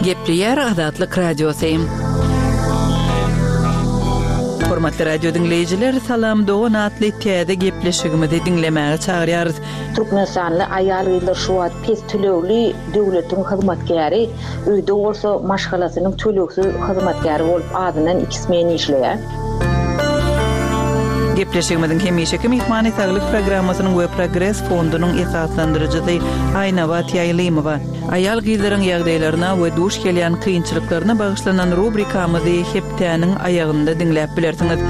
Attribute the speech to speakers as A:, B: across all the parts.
A: Gepleýär Azatlyk Radiosy. Hormatly radio diňleýjiler, Salam dogan atly täze gepleşigimizi diňlemäge çagyrýarys.
B: Türkmenistanly aýal-gyzlar şu wagt pes tölegli döwletiň hyzmatkäri, öýde bolsa maşgalasynyň tölegsiz hyzmatkäri bolup azyndan iki smen işleýär.
A: Gepleşigimiziň hemişeki myhmany Saglyk programmasynyň we Progres fondunyň esaslandyryjysy Aýnabat Ýaýlymowa. Aýal-gyzlaryň ýagdaýlaryna we duş gelýän kynçylyklaryna bagyşlanan rubrikamyzy hepdäniň aýagynda diňläp bilersiňiz.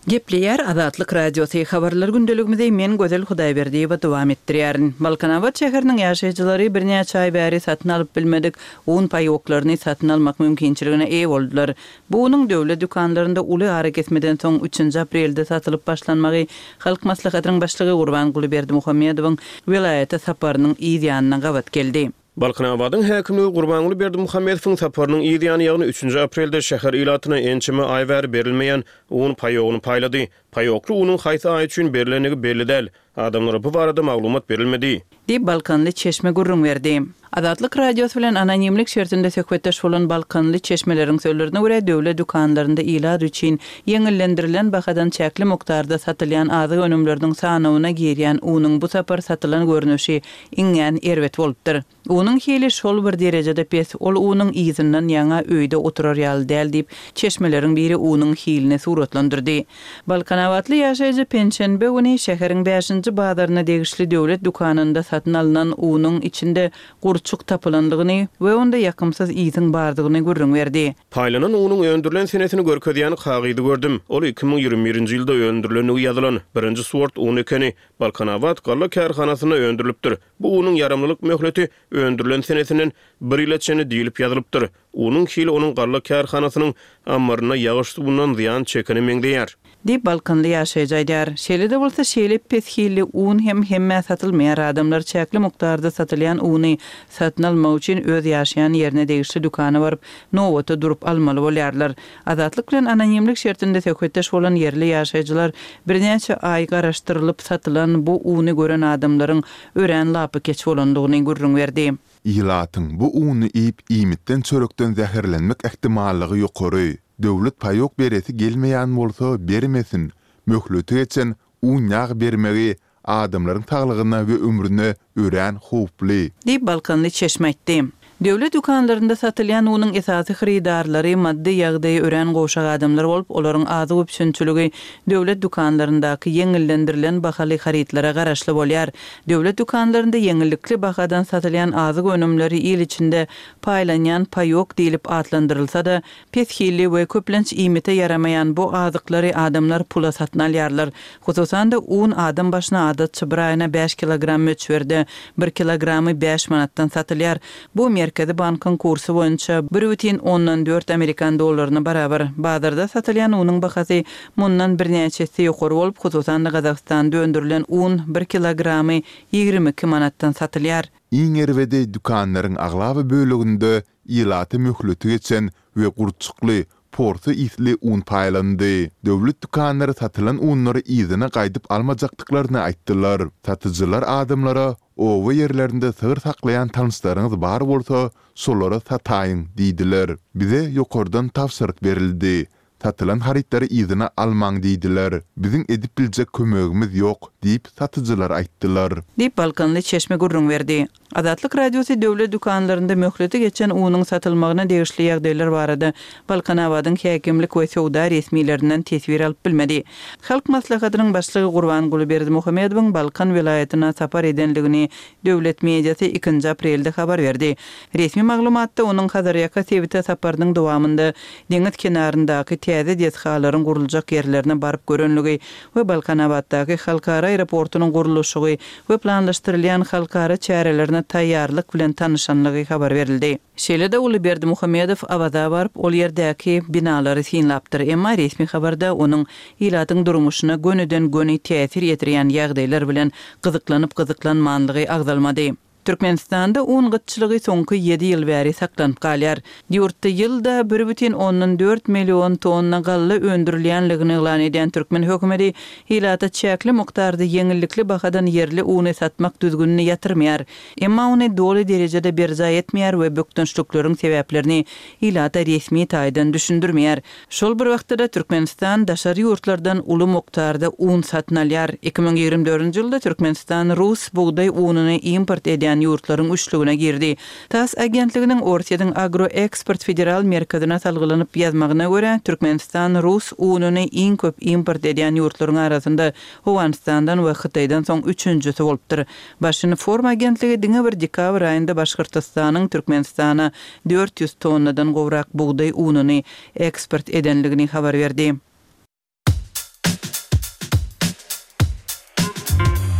A: Gepleýär Azatlyk Radiosy, Habarlar gündeligimizi men Gözel Hudaýberdiýewa dowam etdirýärin. Balkanabat şäheriniň ýaşaýjylary birnäçe aý bäri satyn alyp bilmedik un paýoklaryny satyn almak mümkinçiligine eýe boldular. Bu unuň döwlet dükanlarynda uly arakesmeden soň üçünji aprelde satylyp başlanmagy Halk Maslahatynyň Başlygy Gurbanguly Berdimuhamedowyň welaýata saparynyň yz ýanyna gabat geldi.
C: Balkanabadyň häkimligi Gurbanguly Berdimuhamedowyň saparynyň yz ýany, ýagny üçünji aprelde şäher ilatyna ençeme aý bäri berilmeýän un paýogyny paýlady. Paýokly unuň haýsy aý üçin berlendigi belli däl. Adamlara bu barada maglumat berilmedi.
A: Diýip, balkanly çeşme gürrüň berdi. Azatlyk Radiosy bilen anonimlik şertinde söhbetdeş bolan balkanly çeşmeleriň sözlerine görä, döwlet dükanlarynda ilat üçin ýeňillendirilen bahadan çäkli mukdarda satylýan azyk önümleriniň sanawyna girýän unuň bu sapar satylan görnüşi iňňän erbet bolupdyr. Unuň hili şol bir derejede pes, ol unuň yzyndan ýaňa öýde oturar ýaly däl diýip, çeşmeleriň biri unuň hilini suratlandyrdy. Balkanabatly ýaşaýjy penşenbe güni şäheriň bäşinji bazaryna degişli döwlet dükanynda satyn alnan unuň içinde gurçuk tapylandygyny we onda ýakymsyz ysyň bardygyny gürrüň berdi.
C: Paýlanan unuň öndürilen senesini görkezýän kagyzy gördüm. Ol 2021-nji ýylda öndürilendigi ýazylan, birinji sort un ekeni. Balkanabat galla kärhanasynda öndürilipdir. Bu unuň ýaramlylyk möhleti öndürilen senesinden bir ýyla çenli diýlip ýazylypdyr. Unuň hili onuň galla kärhanasynyň ammarynda ýagyş suwundan zyýan çekene meňzeýär.
A: Diýip, balkanly ýaşaýjy aýdýar. Şeýle-de bolsa, şeýle pes hilli un hem hemmä satylmaýar. Adamlar çäkli mukdarda satylýan uny satyn almak üçin öz ýaşaýan ýerine degişli dükana baryp, nobata durup almaly bolýarlar. Azatlyk bilen anonimlik şertinde söhbetdeş bolan ýerli ýaşaýjylar birnäçe aý garaşdyrylyp satylan bu uny gören adamlaryň örän lapykeç bolandygyny gürrüň berdi.
D: Ilatyň bu uny iýip iýmitden-çörekden zäherlenmek ähtimallygy ýokary. Döwlet paýok beresi gelmeýän bolsa bermesin. Möhleti geçen un-ýag bermegi adamlaryň saglygyna we ömrüne örän howply.
A: Diýip, balkanly çeşme aýtdy. Döwlet dükanlarynda satylýan unuň esasy hyrydarlary maddy ýagdaýy örän gowşak adamlar bolup, olaryň azyk üpjünçiligi döwlet dükanlaryndaky ýeňillendirilen bahaly harytlara garaşly bolýar. Döwlet dükanlarynda ýeňillikli bahadan satylýan azyk önümleri il içinde paýlanýan paýok diýlip atlandyrylsa-da, Pes hilli we köplenç iýmite ýaramaýan bu azyklary adamlar pula satyn alýarlar. Hususan-da, un adam başyna adatça bir aýyna bäş kilogram möçberde, bir kilogramy bäş manatdan satylýar. Bu Merkezi bankyň kursy boýunça bir bütin ondan dört amerikan dollaryna barabar. Bazarda satylýan unuň bahasy mundan birnäçe esse ýokary bolup, hususan-da, Gazagystanda öndürilen un bir kilogramy 22 manatdan satylýar.
D: Iň erbedi dükanlaryň aglaba böleginde Ilata möhleti geçen we gurçukly, porsy ysly un paýlandy. Döwlet dükanlary satylan unlary yzyna gaýdyp almajakdyklaryny aýtdylar. Satyjylar adamlara, Oba ýerlerinde sygyr saklaýan tanyşlaryňyz bar bolsa, şolara sataýyň diýdiler. Bize ýokardan tabşyryk berildi. Satylan harytlary yzyna almaň diýdiler. Biziň edip biljek kömegimiz ýok, diýip, satyjylar aýtdylar.
A: Diýip, balkanly çeşme gürrüň berdi. Azatlyk Radiosy döwlet dükanlarynda möhleti geçen unuň satylmagyna degişli ýagdaýlar barada Balkanabadyň häkimlik we söwda resmilerinden teswir alyp bilmedi. Halk Maslahatynyň Başlygy Gurbanguly Berdimuhamedowyň Balkan welaýatyna sapar edendigini döwlet mediasy ikinji aprelde habar berdi. Resmi maglumatda onuň Hazarýaka sebite saparynyň dowamynda deňiz kenaryndaky täze desgalaryň guruljak ýerlerine baryp görenligi we Balkanabatdaky halkara aeroportunyň gurluşygy we planlaşdyrylýan halkara çärelerine taýýarlyk bilen tanyşanlygy habar berildi. Şeýle-de uly Berdimuhamedow Awaza baryp, ol ýerdäki binalary synlapdyr, emma resmi habarda onuň ilatyň durmuşyna gönüden-göni täsir ýetirýän ýagdaýlar bilen gyzyklanyp-gyzyklanmanlygy agzalmady. Türkmenistanda un gytçylygy soňky ýedi ýyl bäri saklanyp galýar. Ýurtda ýylda 1,4 million tonna galla öndürilýänligini yglan edýän türkmen hökümeti ilata çäkli mukdarda ýeňillikli bahadan ýerli uny satmak düzgünini ýatyrmaýar. Emma ony doly derejede berjaý etmeýär we bökdençlikleriň sebäplerini ilata resmi taýdan düşündirmeýär. Şol bir wagtda-da Türkmenistan daşary ýurtlardan uly mukdarda un satyn alýar. 2024-nji ýylda Türkmenistan rus bugdaý ununy import edýän ýurtlaryň üçlügine girdi. Tass agentliginiň Orsýetiň Agroeksport federal merkezine salgylanyp ýazmagyna görä, Türkmenistan rus ununy iň köp import edýän ýurtlaryň arasynda Owganystandan we Hytaýdan soň üçünjisi bolupdyr. Başinform agentligi diňe bir dekabr aýynda Başgyrtystanyň Türkmenistana 400 tonnadan gowrak bugdaý ununy eksport edenligini habar berdi.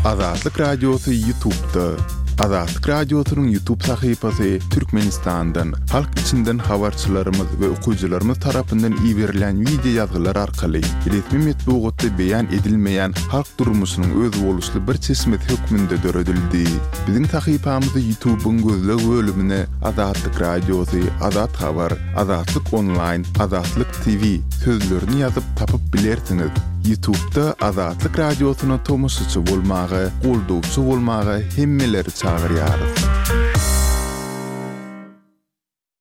D: Azatlyk Radiosy Ýutubda. Azatlyk Radiosynyň Ýutub sahypasy Türkmenistandan, halk içinden habarçylarymyz we okyjylarymyz tarapyndan iberilen wideo ýazgylar arkaly resmi metbugatda beýan edilmeýän halk durmuşynyň özboluşly bir çeşmesi hökmünde döredildi. Biziň sahypamyzy Ýutubyň gözleg bölümine Azatlyk Radiosy, Azat Habar, Azatlyk Onlaýn, Azatlyk TV sözlerini ýazyp tapyp bilersiňiz. Ýutubda Azatlyk Radiosyna tomaşaçy bolmaga, goldawçy bolmaga hemmeleri çagyrýarys.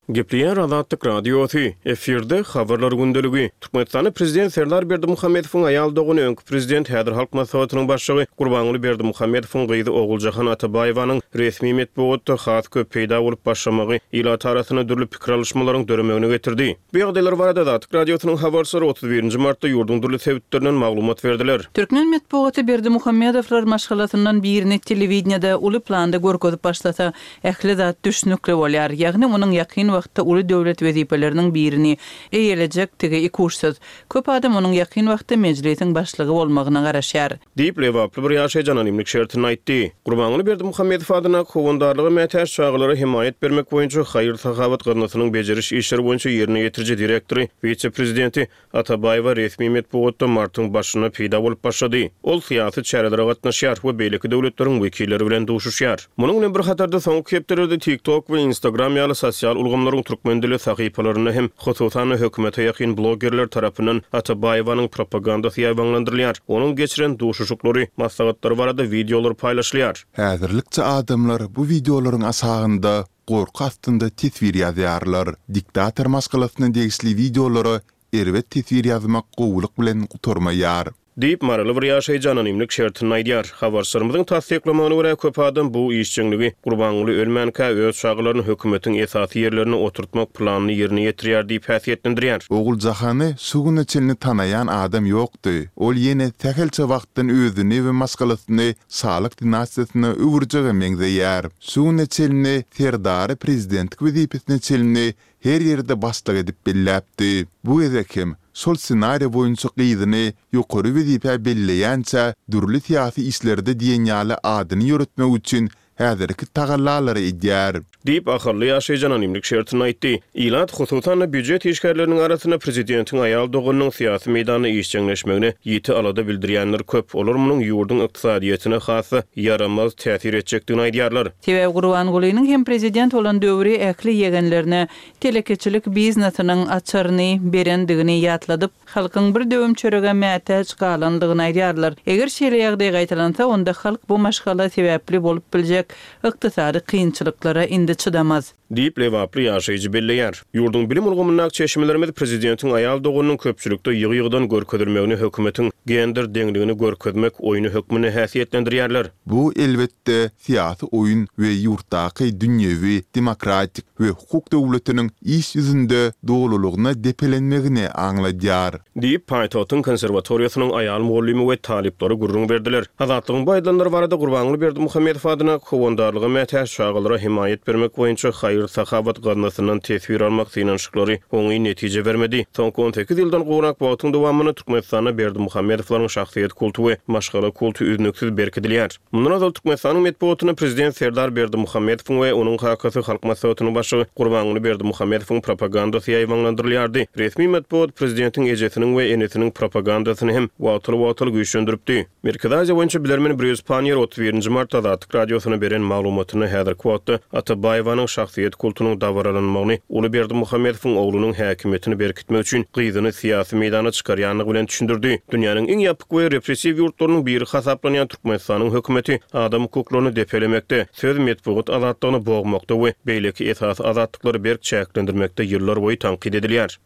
C: Gepleýär Azatlyk Radiosy, efirde Habarlar gündeligi. Türkmenistanda prezident Serdar Berdimuhamedowyň aýal dogany, öňki prezident, häzir Halk Maslahatynyň başlygy Gurbanguly Berdimuhamedowyň gyzy Oguljahan Atabaýewanyň resmi metbugatda has köp peýda bolup başlamagy ilat arasynda dürli pikir alyşmalaryň döremegine getirdi. Bu ýagdaýlar barada Azatlyk Radiosynyň habarçylary 31 nji martda ýurduň dürli sebitlerinden maglumat berdiler.
A: Türkmen metbugaty Berdimuhamedowlar maşgalasyndan birini telewideniýede uly planda görkezip başlasa, ähli zat düşnükli bolýar, ýagny onuň ýakyn wagtda uly döwlet wezipeleriniň birini eýelejekdigi ikuçsuz. Köp adam onuň ýakyn wagtda Mejlisiň başlygy bolmagyna garaşýar.
C: Diýip, lebaply bir ýaşaýjy anonimlik şertinde aýtdy. Gurbanguly Berdimuhamedow adyndaky Howandarlyga mätäç çagalara hemaýat bermek boýunça haýyr-sahawat gaznasynyň bejeriş işleri boýunça ýerine ýetiriji direktory, wise-prezidenti Atabaýewa resmi metbugatda martyň başynda peýda bolup başlady. Ol syýasy çärelere gatnaşýar we beýleki döwletleriň wekilleri bilen duşuşýar. Munuň bilen bir hatarda, soňky hepdelerde TikTok we Instagram ýaly sosial ulgamlaryň türkmen dilli sahypalarynda hem, hususan-da, hökümete ýakyn bloggerler tarapyndan Atabaýewanyň propagandasy ýaýbaňlandyrylýar, onuň geçiren duşuşyklary, maslahatlary barada wideolar paýlaşylýar.
D: Häzirlikçe adamlar bu wideolaryň aşagynda gorky astynda teswir ýazýarlar. Diktator maşgalasyna degişli wideolara erbet teswir ýazmak gowulyk bilen gutarmaýar.
C: Diýip, maryly bir ýaşaýjy anonimlik şertinde aýdýar. Habarçylarymyzyň tassyklamagyna görä, köp adam bu işjeňligi Gurbanguly ölmänkä öz çagalaryny hökümetiň esasy ýerlerine oturtmak planyny ýerine ýetirýär diýip häsiýetlendirýär.
D: Oguljahany şu güne çenli tanaýan adam ýokdy. Ol ýene sähelçe wagtdan özüni we maşgalasyny şalyk dinastiýasyna öwürjege meňzeýär. Şu güne çenli Serdary prezidentlik wezipesine çenli her ýerde başlyk edip belläpdi. Bu gezek hem şol ssenariýa boýunça gyzyny ýokary wezipä belleýänçä dürli syýasy işlerde diýen ýaly adyny ýöretmek üçin häzirki tagallalary edýär.
C: Diýip, ahally ýaşaýjy anonimlik şertinde aýtdy. Ilat, hususan-da, býujet işgärleriniň arasynda prezidentiň aýal doganynyň syýasy meýdanda işjeňleşmegine ýiti alada bildirýänler köp. Olar munuň ýurduň ykdysadyýetine has-da ýaramaz täsir etjekdigini aýdýarlar.
A: Sebäbi Gurbangulynyň hem prezident bolan döwri ähli ýegenlerine telekeçilik biznesiniň açaryny berendigini ýatladyp, halkyň bir döwüm çörege mätäç galandygyny aýdýarlar. Eger şeýle ýagdaý gaýtalansa, onda halk bu maşgala sebäpli bolup biljek ykdysady kynçylyklara indi çydamaz.
C: Diýip, lebaply ýaşaýjy belleýär. Ýurduň bilim ulgamyndaky çeşmelerimiz prezidentiň aýal doganynyň köpçülikde ýygy-ýygydan görkezilmegini hökümetiň gender deňligini görkezmek oýny hökmünde häsiýetlendirýärler.
D: Bu, elbetde, syýasy oýun we ýurtdaky dünýewi, demokratik we hukuk döwletiniň iş ýüzünde dolulygyna depelenmegini aňladýar.
C: Diýip, paýtagtyň konserwatoriýasynyň aýal mugallymy we talyplary gürrüň berdiler. Azatlygyň bu aýdylanlary barada Gurbanguly Berdimuhamedow adyndaky Howandarlyga mätäç çagalara hemaýat bermek boýunça haýyr. haýyr-sahawat gaznasyndan teswir almak synanyşyklary oňyn netije bermedi. Soňky 18 ýyldan gowrak wagtyň dowamynda Türkmenistanda Berdimuhamedowlaryň şahsyýet kulty we maşgala kulty üznüksiz berkidilýär. Mundan ozal Türkmenistanyň metbugatynda prezident Serdar Berdimuhamedowyň we onuň kakasy Halk Maslahatynyň başlygy Gurbanguly Berdimuhamedowyň propagandasy ýaýbaňlandyrylýardy. Resmi metbugat prezidentiň ejesiniň we enesiniň propagandasyny hem wagtal-wagtal güýçlendiripdi. Merkezi Aziýa boýunça bilermen Brýus Panniýer 31 nji martda Azatlyk Radiosyna beren maglumatynda häzirki wagtda Atabaýewanyň şahsyýet kultunyň dabaralanmagyny uly Berdimuhamedowyň oglunyň häkimiýetini berkitmek üçin gyzyny syýasy meýdana çykarýandygy bilen düşündirdi. Dünýäniň iň ýapyk we repressiw ýurtlarynyň biri hasaplanýan Türkmenistanyň hökümeti adam hukuklaryny depelemekde, söz, metbugat azatlygyny bogmakda we beýleki esasy azatlyklary berk çäklendirmekde ýyllarboýy tankyt edilýär.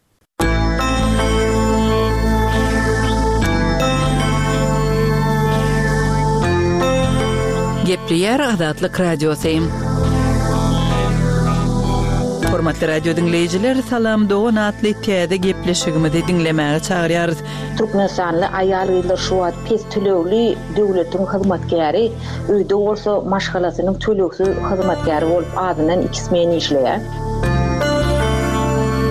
A: Gepleýär Azatlyk Radiosy. Hormatly radio diňleýjiler, Salam dogan atly täze gepleşigimizi diňlemäge çagyrýarys.
B: Türkmenistanly aýal-gyzlar şu wagt pes tölegli döwletiň hyzmatkäri, öýde bolsa maşgalasynyň tölegsiz hyzmatkäri bolup azyndan iki smen işleýär.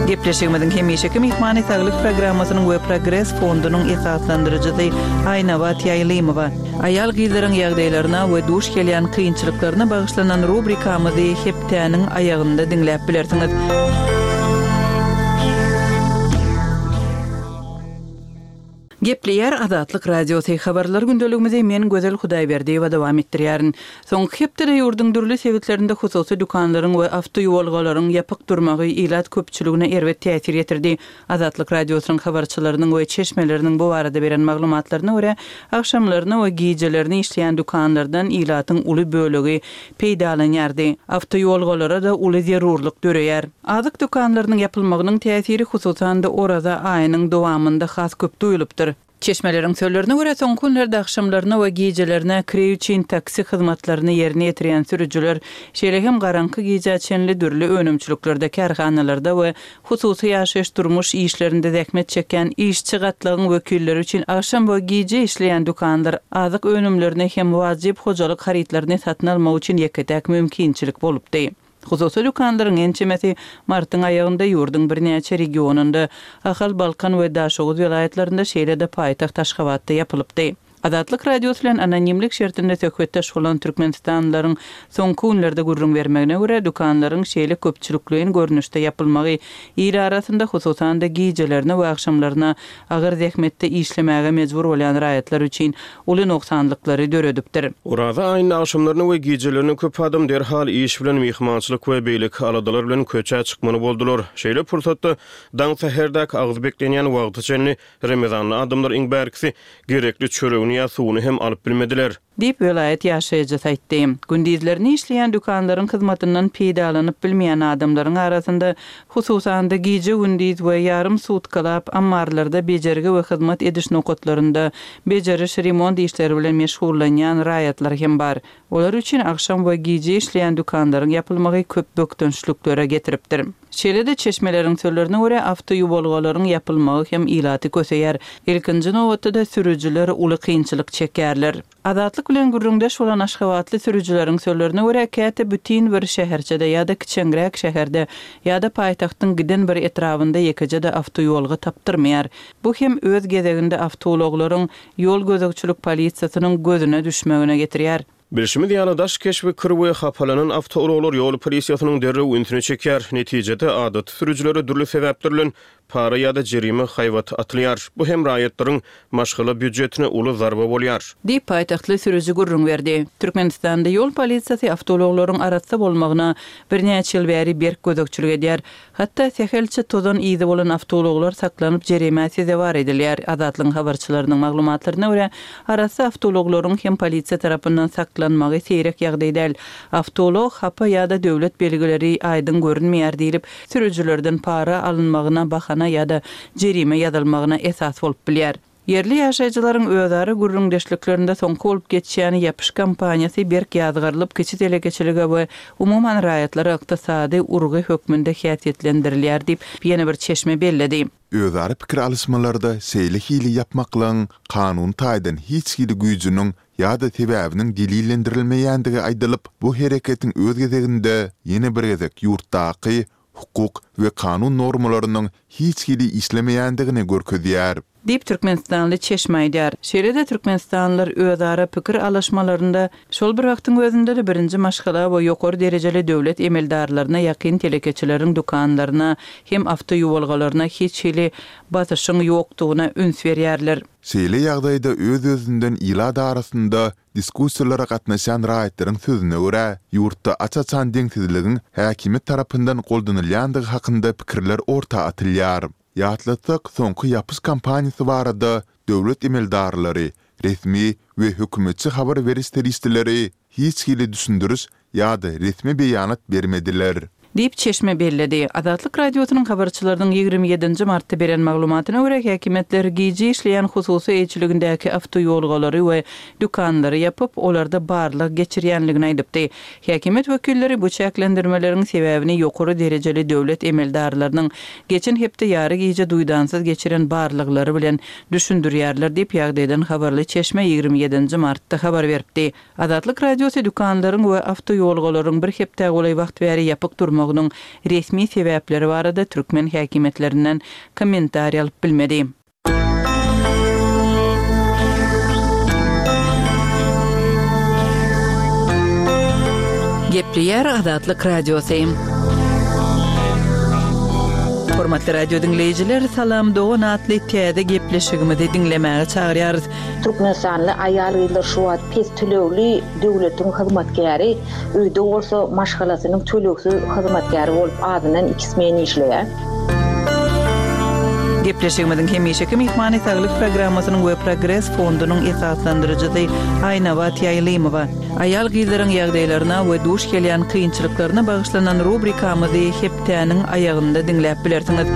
A: Gepleşigimiziň hemişeki myhmany Saglyk programmasynyň we Progres fondunyň esaslandyryjysy Aýnabat Ýaýlymowa. Aýal-gyzlaryň ýagdaýlaryna we duş gelýän kynçylyklaryna bagyşlanan rubrikamyzy hepdäniň aýagynda diňläp bilersiňiz. Gepleýär Azatlyk Radiosy, Habarlar gündeligimizi men Gözel Hudaýberdiýewa dowam etdirýärin. Soňky hepdede ýurduň dürli sebitlerinde hususy dükanlaryň we awtoýuwalgalaryň ýapyk durmagy ilat köpçüligine erbet täsir ýetirdi. Azatlyk Radiosynyň habarçylarynyň we çeşmeleriniň bu barada beren maglumatlaryna görä, agşamlaryna we gijelerine işleýän dükanlardan ilatyň uly bölegi peýdalanýardy. Awtoýuwalgalara-da uly zerurlyk döreýär. Azyk dükanlarynyň ýapylmagynyň täsiri hususan-da Oraza aýynyň dowamynda has köp duýulypdyr. Çeşmeleriň sözlerine görä, soňky günlerde agşamlaryna we gijelerine kireý üçin taksi hyzmatlaryny ýerine ýetirýän sürüjiler, şeýle hem garaňky gijä çenli dürli önümçiliklerde, kärhanalarda we hususy ýaşaýyş-durmuş işlerinde zähmet çekýän işçi gatlagyň wekilleri üçin agşam we gije işleýän dükanlar azyk önümlerini hem wajyp hojalyk harytlaryny satyn almak üçin ýeke-täk mümkinçilik bolupdy. Hususy dükanlaryň ençemesi martyň aýagynda ýurduň birnäçe regionynda, Ahal, Balkan we Daşoguz welaýatlarynda, şeýle-de paýtagt Aşgabatda ýapylypdy. Azatlyk Radiosy bilen anonimlik şertinde söhbetdeş bolan türkmenistanlylaryň soňky günlerde gürrüň bermegine görä, dükanlaryň şeýle köpçülikleýin görnüşde ýapylmagy il arasynda, hususan-da, gijelerine we agşamlaryna agyr zähmetde işlemäge mejbur bolýan raýatlar üçin uly nogsanlyklary döredipdir.
C: Oraza aýynda agşamlaryna we gijelerine köp adam derhal iş bilen, myhmançylyk we beýleki aladalar bilen köçä çykmaly boldular. Şeýle pursatda, daň säherdäki agyz beklenýän wagta çenli Remezanda adamlar iň bärkisi gerekli çöregini ýa suwuny hem alyp bilmediler.
A: Diýip, welaýat ýaşaýjysy aýtdy. Gündizlerine işleýän dükanlaryň hyzmatyndan peýdalanyp bilmeýän adamlaryň arasynda, hususan-da, gije-gündiz we ýarym sutkalap ammarlarda bejergi we hyzmat ediş nokatlarynda bejeriş-remont işleri bilen meşgullanýan raýatlar hem bar. Olar üçin agşam we gije işleýän dükanlaryň ýapylmagy köp bökdençliklere getiripdir. Şeýle-de, çeşmeleriň sözlerine görä, awtoýuwalgalaryň ýapylmagy hem ilaty köseýär. Ilkinji nobatda-da sürüjiler uly kynçylyk çekýärler. Azatlyk bilen gürrüňdeş bolan aşgabatly sürüjileriň sözlerine görä, käte bütin bir şäherçede ýa-da kiçeňräk şäherde ýa-da paýtagtyň giden bir etrabynda ýekeje-de awtoýuwalga tapdyrmaýar. Bu hem öz gezeginde awtoulaglaryň ýol gözegçilik polisiýasynyň gözüne düşmegine getirýär.
C: Bilşimiz ýaly, daş keşbi kir we hapalanan awtoulaglar ýol polisiýasynyň derrew ünsüni çekýär. Netijede, adaty sürüjilere dürli sebäpler bilen para ýa-da jerime haýbaty atylýar. Bu hem raýatlaryň maşgala býujetine uly zarba bolýar.
A: Diýip, paýtagtly sürüji gürrüň berdi. Türkmenistanda ýol polisiýasy awtoulaglaryň arassa bolmagyna birnäçe ýyl bäri berk gözegçilik edýär. Hatda sähelçe tozan yzy bolan awtoulaglar saklanyp jerimä sezewar edilýär. Azatlygyň habarçylarynyň maglumatlaryna görä, arassa awtoulaglaryň hem polisiýa tarapyndan saklanmagy seýrek ýagdaý däl. Awtoulag hapa ýa-da döwlet belgileri aýdyň görünmeýär diýlip, sürüjilerden para alynmagyna bahana ýa-da jerime ýazylmagyna esas bolup bilýär. Ýerli ýaşaýjylaryň özara gürrüňdeşliklerinde soňky bolup geçýän ýapyş kampaniýasy berk ýazgarylyp, kiçi telekeçilige we umuman raýatlara ykdysady urgy hökmünde häsiýetlendirilýär diýip, ýene bir çeşme belledi.
D: Özara pikir alyşmalarda şeýle hili ýapmaklygyň kanuny taýdan hiç hili güýjüniň ýa-da sebäbiniň delillendirilmeýändigi aýdylyp, bu hereketiň öz gezeginde ýene bir gezek ýurtdaky hukuk we kanun normalarynyň hiç hili işlemeýändigini görkezýär.
A: Diýip, türkmenistanly çeşme aýdýar. Şeýle-de türkmenistanlylar özara pikir alyşmalarynda, şol bir wagtyň özünde-de birinji maşgala we ýokary derejeli döwlet emeldarlaryna ýakyn telekeçileriň dükanlaryna hem awtoýuwalgalaryna hiç hili basyşyň ýokdugyna üns berýärler.
D: Şeýle ýagdaýda öz-özünden ilat arasynda Diskussiýalara gatnaşýan raýatlaryň sözüne görä, ýurtda aç-açan deňsizligiň häkimiýet tarapyndan goldanylýandygy hakynda pikirler orta atylýar. Ýatlatsak, soňky ýapyş kampaniýasy barada döwlet emeldarlary, resmi we hökümetçi habar beriş serişdeleri hiç hili düşündiriş ýa-da resmi beýanat bermediler.
A: Diýip, çeşme belledi. Azatlyk Radiosynyň habarçylarynyň 27 nji martda beren maglumatyna görä, häkimiýetler gije işleýän hususy eýeçiligindäki awtoýolgalary we dükanlary ýapyp, olarda barlag geçirýänligini aýdypdy. Häkimiýet wekilleri bu çäklendirmeleriň sebäbini ýokary derejeli döwlet emeldarlarynyň geçen hepde ýary gije duýdansyz geçiren barlaglary bilen düşündirýärler diýip, ýagdaýdan habarly çeşme 27 nji martda habar beripdi. Azatlyk Radiosy dükanlaryň we awtoýolgalaryň bir hepdä golaý wagt bäri ýapyk durmagynyň resmi sebäpleri barada türkmen häkimiýetlerinden kommentariý alyp bilmedi. Gepleýär Azatlyk Radiosy. Hormatly radio diňleýjiler, Salam dogan atly täze gepleşigimizi diňlemäge çagyrýarys.
B: Türkmenistanly aýal-gyzlar şu wagt pes tölegli döwletiň hyzmatkäri, öýde bolsa maşgalasynyň tölegsiz hyzmatkäri bolup azyndan iki smen işleýär.
A: Gepleşigimiziň hemişeki myhmany Saglyk programmasynyň we Progres fondunyň esaslandyryjysy Aýnabat Ýaýlymowa. Aýal-gyzlaryň ýagdaýlaryna we duş gelýän kynçylyklaryna bagyşlanan rubrikamyzy hepdäniň aýagynda diňläp bilersiňiz.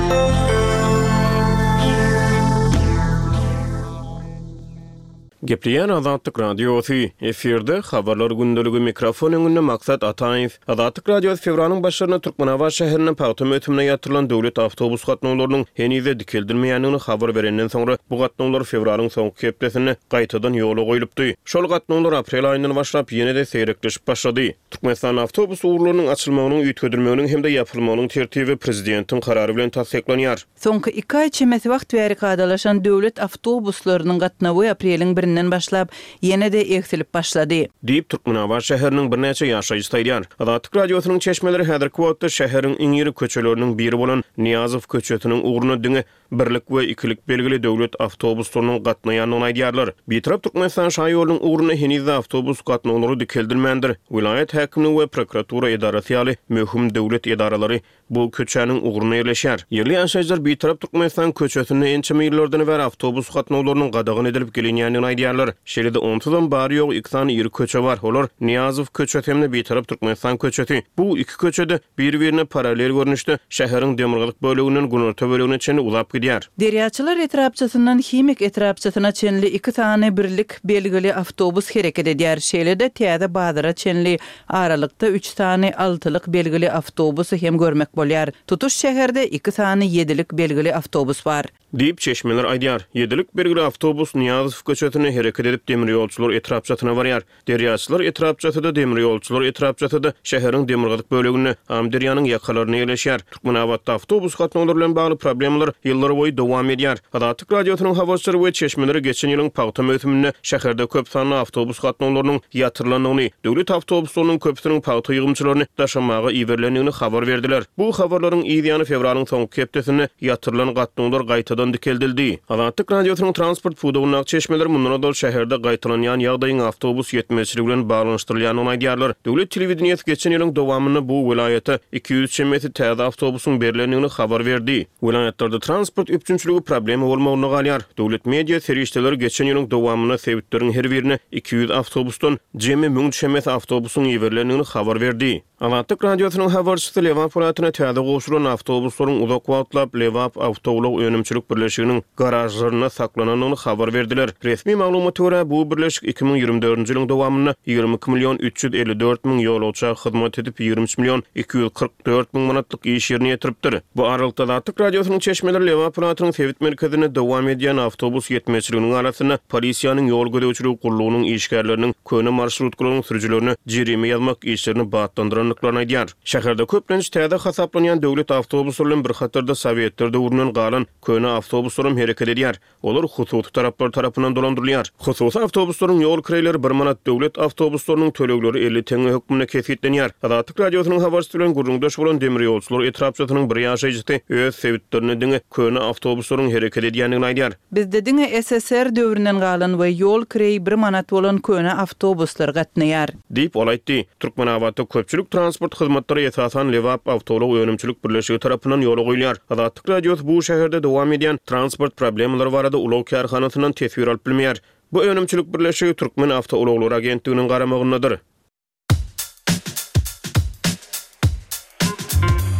C: Gepleýär Azatlyk Radiosy, Efirde, Habarlar gündeligi, mikrofon öňünde Maksat Ataýew. Azatlyk Radiosy fewralyň başlarynda Türkmenabat şäherinde pagta möwsümine ýatyrylan döwlet awtobus gatnawlarynyň heniz-de dikeldilmeýändigini habar berenden soňra, bu gatnawlar fewralyň soňky hepdesinde gaýtadan ýola goýlupdy. Şol gatnawlar aprel aýyndan başlap ýene-de seýrekleşip başlady. Türkmenistanda awtobus ugurlarynyň açylmagynyň, üýtgedilmeginiň hem-de ýapylmagynyň tertibi prezidentiň karary bilen tassyklanýar.
A: Soňky iki aý çemesi wagt bäri kadalaşan döwlet awtobuslarynyň gatnawy apreliň birinden başlap, ýene-de egsilip başlady.
C: Diýip, Türkmenabat şäheriniň birnäçe ýaşaýjysy aýdýar. Azatlyk Radiosynyň çeşmeleri häzirki wagtda şäheriň iň iri köçeleriniň biri bolan Nyýazow köçesiniň ugrunda diňe birlik we ikilik belgili döwlet awtobuslarynyň gatnaýandygyny aýdýarlar. Bitarap Türkmenistan şaýolunyň ugrunda heniz-de awtobus gatnawlary dikeldilmändir. Welaýat häkimligi we prokuratura edarasy ýaly möhüm döwlet edaralary Bu köçäniň ugrunda ýerleşýär. Ýerli ýaşaýjylar Bitarap Türkmenistan köçesinde ençeme ýyllardan bäri awtobus gatnawlarynyň gadagan edilip gelinýändigini aýdýarlar. Şeýle-de onsuzam bary-ýogy iki sany iri köçe bar. Olar, Nyýazow köçesi hem-de Bitarap Türkmenistan köçesi. Bu iki köçe-de bir-birine parallel görnüşde şäheriň demirgazyk böleginden günorta bölegine çenli uzap gidýär.
A: Derýaçylar etrapçasyndan Himik etrapçasyna çenli iki sany birlik belgili awtobus hereket edýär. Şeýle-de täze bazara çenli Aralykda üç sany altylyk belgili awtobusy hem görmek bolýar. Tutuş şäherde iki sany ýedilik belgili awtobus bar.
C: Diýip, çeşmeler aýdýar. Ýedilik belgili awtobus Nyýazow köçesinde hereket edip, Demirýolçular etrapçasyna barýar. Derýaçylar etrapçasy-da, Demirýolçular etrapçasy-da şäheriň demirgazyk böleginde, Amyderýanyň ýakalarynda ýerleşýär. Türkmenabatda awtobus gatnawlary bilen bagly problemalar ýyllarboýy dowam edýär. Azatlyk Radiosynyň habarçylary we çeşmeleri geçen ýylyň pagta möwsüminde şäherde köp sanly awtobus gatnawlarynyň ýatyrylandygyny, döwlet awtobuslarynyň köpüsiniň pagta ýygymçylaryny daşamaga iberilendigini habar berdiler. Bu habarlaryň yz ýany fewralyň soňky hepdesinde ýatyrylan gatnawlar gaýtadan dikeldildi. Azatlyk Radiosynyň transport pudagyndaky çeşmeleri mundan ozal şäherde gaýtalanýan ýagdaýyň awtobus ýetmezçiligi bilen baglanyşdyrylýandygyny aýdýarlar. Döwlet telewideniýesi geçen ýylyň dowamynda bu welaýata 200 çemesi täze awtobusyň berlendigini habar berdi. Welaýatlarda transport üpjünçiligi problema bolmagynda galýar. Döwlet media serişdeleri geçen ýylyň dowamynda sebitleriň her birine 200 awtobusdan jemi 1000 çemesi awtobusyň iberilendigini habar berdi. Azatlyk Radiosynyň habarçysy Lebap welaýatyna täze goşulan awtobuslaryň uzak wagtlap Lebap awtoulag önümçilik birleşiginiň garažlarynda saklanandygyny habar berdiler. Resmi maglumata görä, bu birleşik 2024-nji ýylyň dowamynda 22 million 354 müň ýolagça hyzmat edip, 23 million 244 müň manatlyk iş ýerine ýetiripdir. Bu aralykda, Azatlyk Radiosynyň çeşmeleri Lebap welaýatynyň sebit merkezinde dowam edýän awtobus ýetmezçiliginiň arasynda polisiýanyň ýol gözegçiligi gullugynyň işgärleriniň köne marşrutkalaryň sürüjilerine jerime ýazmak işlerini batlandyrandyklaryny aýdýar. Şäherde köplenç täze hasaplanýan döwlet awtobuslary bilen bir hatarda sowetler döwründen galan köne awtobuslaram hereket edýär. Olar hususy taraplar tarapyndan dolandyrylýar. Hususy awtobuslaryň ýol kireýleri bir manat, döwlet awtobuslarynyň tölegleri 50 teňňe hökmünde kesgitlenýär. Azatlyk Radiosynyň habarçysy bilen gürrüňdeş bolan Demirýolçular etrapçasynyň bir ýaşaýjysy öz sebitlerinde diňe köne awtobuslaryň hereket edýändigini aýdýar.
A: Bizde diňe SSR döwründen galan we ýol kireýi bir manat bolan köne awtobuslar gatnaýar.
C: Diýip, ol aýtdy. Türkmenabatda köpçülik transport hyzmatlary esasan Lebap awtoulag önümçilik birleşigi tarapyndan ýola goýulýar. Azatlyk Radiosy bu şäherde dowam edýän transport problemalary barada ulag kärhanasyndan teswir alyp bilmeýär. Bu önümçilik birleşigi Türkmen awtoulaglary agentliginiň garamagyndadyr.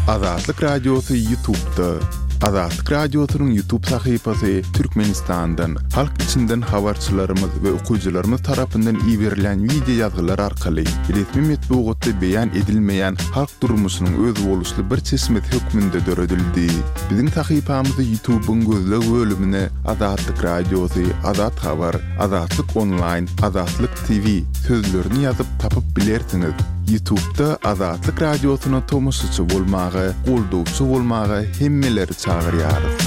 D: Azatlyk Radiosy Ýutubda. Azatlyk Radiosynyň Ýutub sahypasy Türkmenistandan, halk içinden habarçylarymyz we okyjylarymyz tarapyndan iberilýän wideo ýazgylar arkaly resmi metbugatda beýan edilmeýän halk durmuşynyň özboluşly bir çeşmesi hökmünde döredildi. Biziň sahypamyzy Ýutubyň gözleg bölümine Azatlyk Radiosy, Azat Habar, Azatlyk Onlaýn, Azatlyk TV sözlerini ýazyp tapyp bilersiňiz. Ýutubda Azatlyk Radiosyna tomaşaçy bolmaga, goldawçy bolmaga hemmeleri çagyrýarys.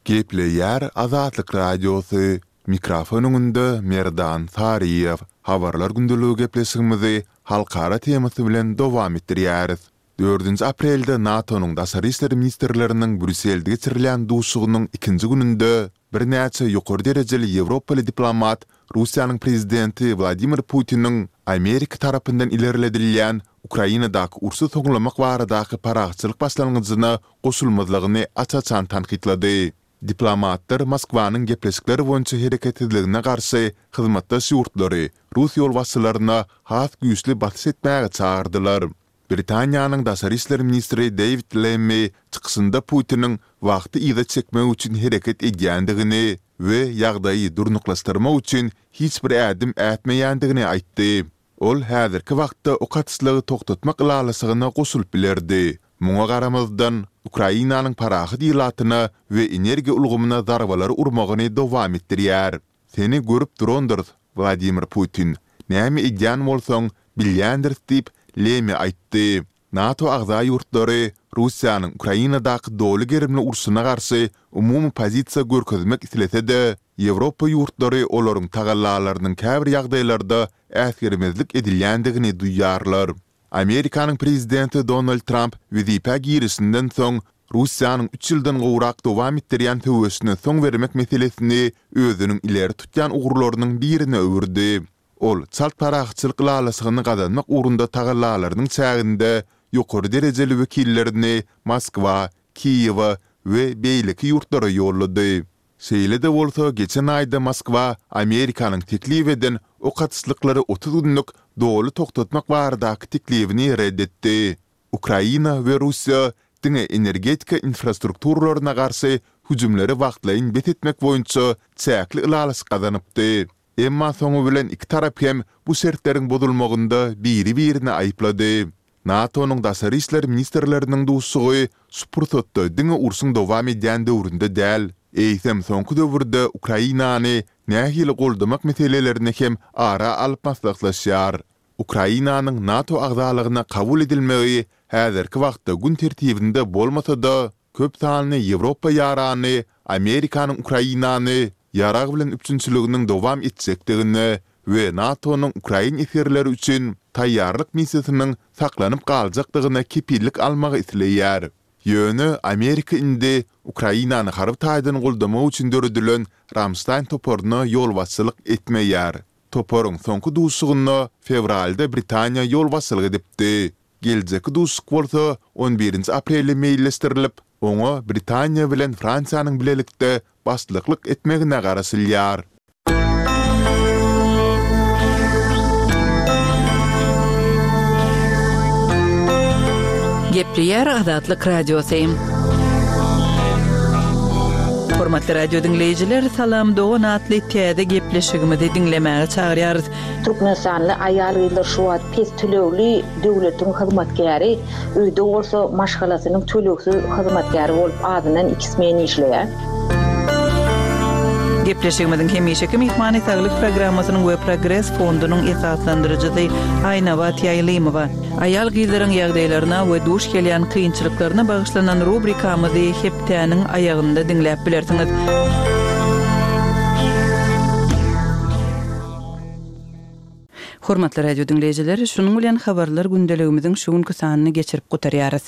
D: Gepleýär Azatlyk Radiosy, mikrofon öňünde Merdan Saryýew. Habarlar gündeligi gepleşigimizi halkara temasy bilen dowam etdirýäris. Dördünji aprelde NATO-nyň daşary işler ministrleriniň Brýusselde geçirilýän duşuşygynyň ikinji gününde birnäçe ýokary derejeli ýewropaly diplomat Russiýanyň prezidenti Wladimir Putiniň Amerika tarapyndan ilerledilýän Ukrainadaky urşy soňlamak baradaky parahatçylyk başlangyjyna goşulmazlygyny aç-açan tankytlady. Diplomatlar Moskwanyň gepleşikler boýunça hereketsizligine garşy hyzmatdaş ýurtlary rus ýolbaşçylaryna has güýçli basyş etmäge çagyrdylar. Britaniýanyň daşary işler ministri Deýwid Lemmi çykyşynda Putiniň wagty yza çekmek üçin hereket edýändigini we ýagdaýy durnuklaşdyrmak üçin hiç bir ädim ätmeýändigini aýtdy. Ol häzirki wagtda ok atyşlygy togtatmak ylalaşygyna goşulyp bilerdi. Muňa garamazdan, Ukrainanyň parahat ilatyna we energiýa ulgamyna zarbalary urmagyny dowam etdirýär. Seni görüp durandyrys, Wladimir Putin. Näme edýän bolsaň, bilýändiris diýip, Lemi aýtdy. NATO agza ýurtlary Russiýanyň Ukrainadaky doly gerimli urşuna garşy umumy pozisiýa görkezmek islese-de, Ýewropa ýurtlary olaryň tagallalarynyň käbir ýagdaýlarda äsgermezlik edilýändigini duýýarlar. Amerikanyň prezidenti Donald Tramp wezipä girişinden soň, Russiýanyň üç ýyldan gowrak dowam etdirýän söweşine soň bermek meselesini özüniň ileri tutýan ugurlarynyň birine öwürdi. Ol çalt parahatçylyk ylalaşygyny gazanmak ugrunda tagallalarynyň çäginde ýokary derejeli wekillerini Moskwa, Kiýewe we beýleki ýurtlara ýollady. Şeýle-de bolsa, geçen aýda Moskwa Amerikanyň teklip eden ok atyşlyklary 30 günlük doly togtatmak baradaky teklibini ret etdi. Ukraina we Russiýa diňe energetika infrastrukturalaryna garşy hüjümleri wagtlaýyn bes etmek boýunça çäkli ylalaşyk gazanypdy. Emma soňy bilen iki tarap hem bu şertleriň bozulmagynda biri-birini aýyplady. NATO-nyň daşary işler ministrleriniň duşuşygy şu pursatda diňe urşuň dowam edýän döwründe däl, eýsem soňky döwürde Ukrainany nähili goldamak meselelerini hem ara alyp maslahatlaşýar. Ukrainanyň NATO agzalygyna kabul edilmegi häzirki wagtda gün tertibinde bolmasa-da, Köp sanly Ýewropa ýarany Amerikanyň Ukrainany ýarag bilen üpjünçiliginiň dowam etjekdigine we NATO-nyň ukrain esgerleri üçin taýýarlyk missiýasynyň saklanyp galjakdygyna kepillik almagy isleýär. Ýöne Amerika indi Ukrainany harby taýdan goldamak üçin döredilen Ramştaýn toparyna ýolbaşçylyk etmeýär. Toparyň soňky duşuşygynda fewralda Britaniýa ýolbaşçylyk edipdi. Geljekki duşuşyk bolsa on birinji aprelde meýilleşdirilip, oňa Britaniýa bilen Fransiýanyň bilelikde başlyklyk etmegine garaşylýar.
A: Gepleýär Azatlyk Radiosy. Hormatly radio diňleýjiler, Salam dogan atly täze gepleşigimizi diňlemäge çagyrýarys.
B: Türkmenistanly aýal-gyzlar şu wagt pes tölegli döwletiň hyzmatkäri, öýde bolsa maşgalasynyň tölegsiz hyzmatkäri bolup azyndan iki smen işleýär.
A: Gepleşigimiziň hemişeki myhmany Saglyk programmasynyň we Progres fondunyň esaslandyryjysy Aýnabat Ýaýlymowa. Aýal-gyzlaryň ýagdaýlaryna we duş gelýän kynçylyklaryna bagyşlanan rubrikamyzy hepdäniň aýagynda diňläp bilersiňiz. Hormatly radio diňleýjiler, şunuň bilen Habarlar gündeligimiziň şu günki sanyny geçirip gutarýarys.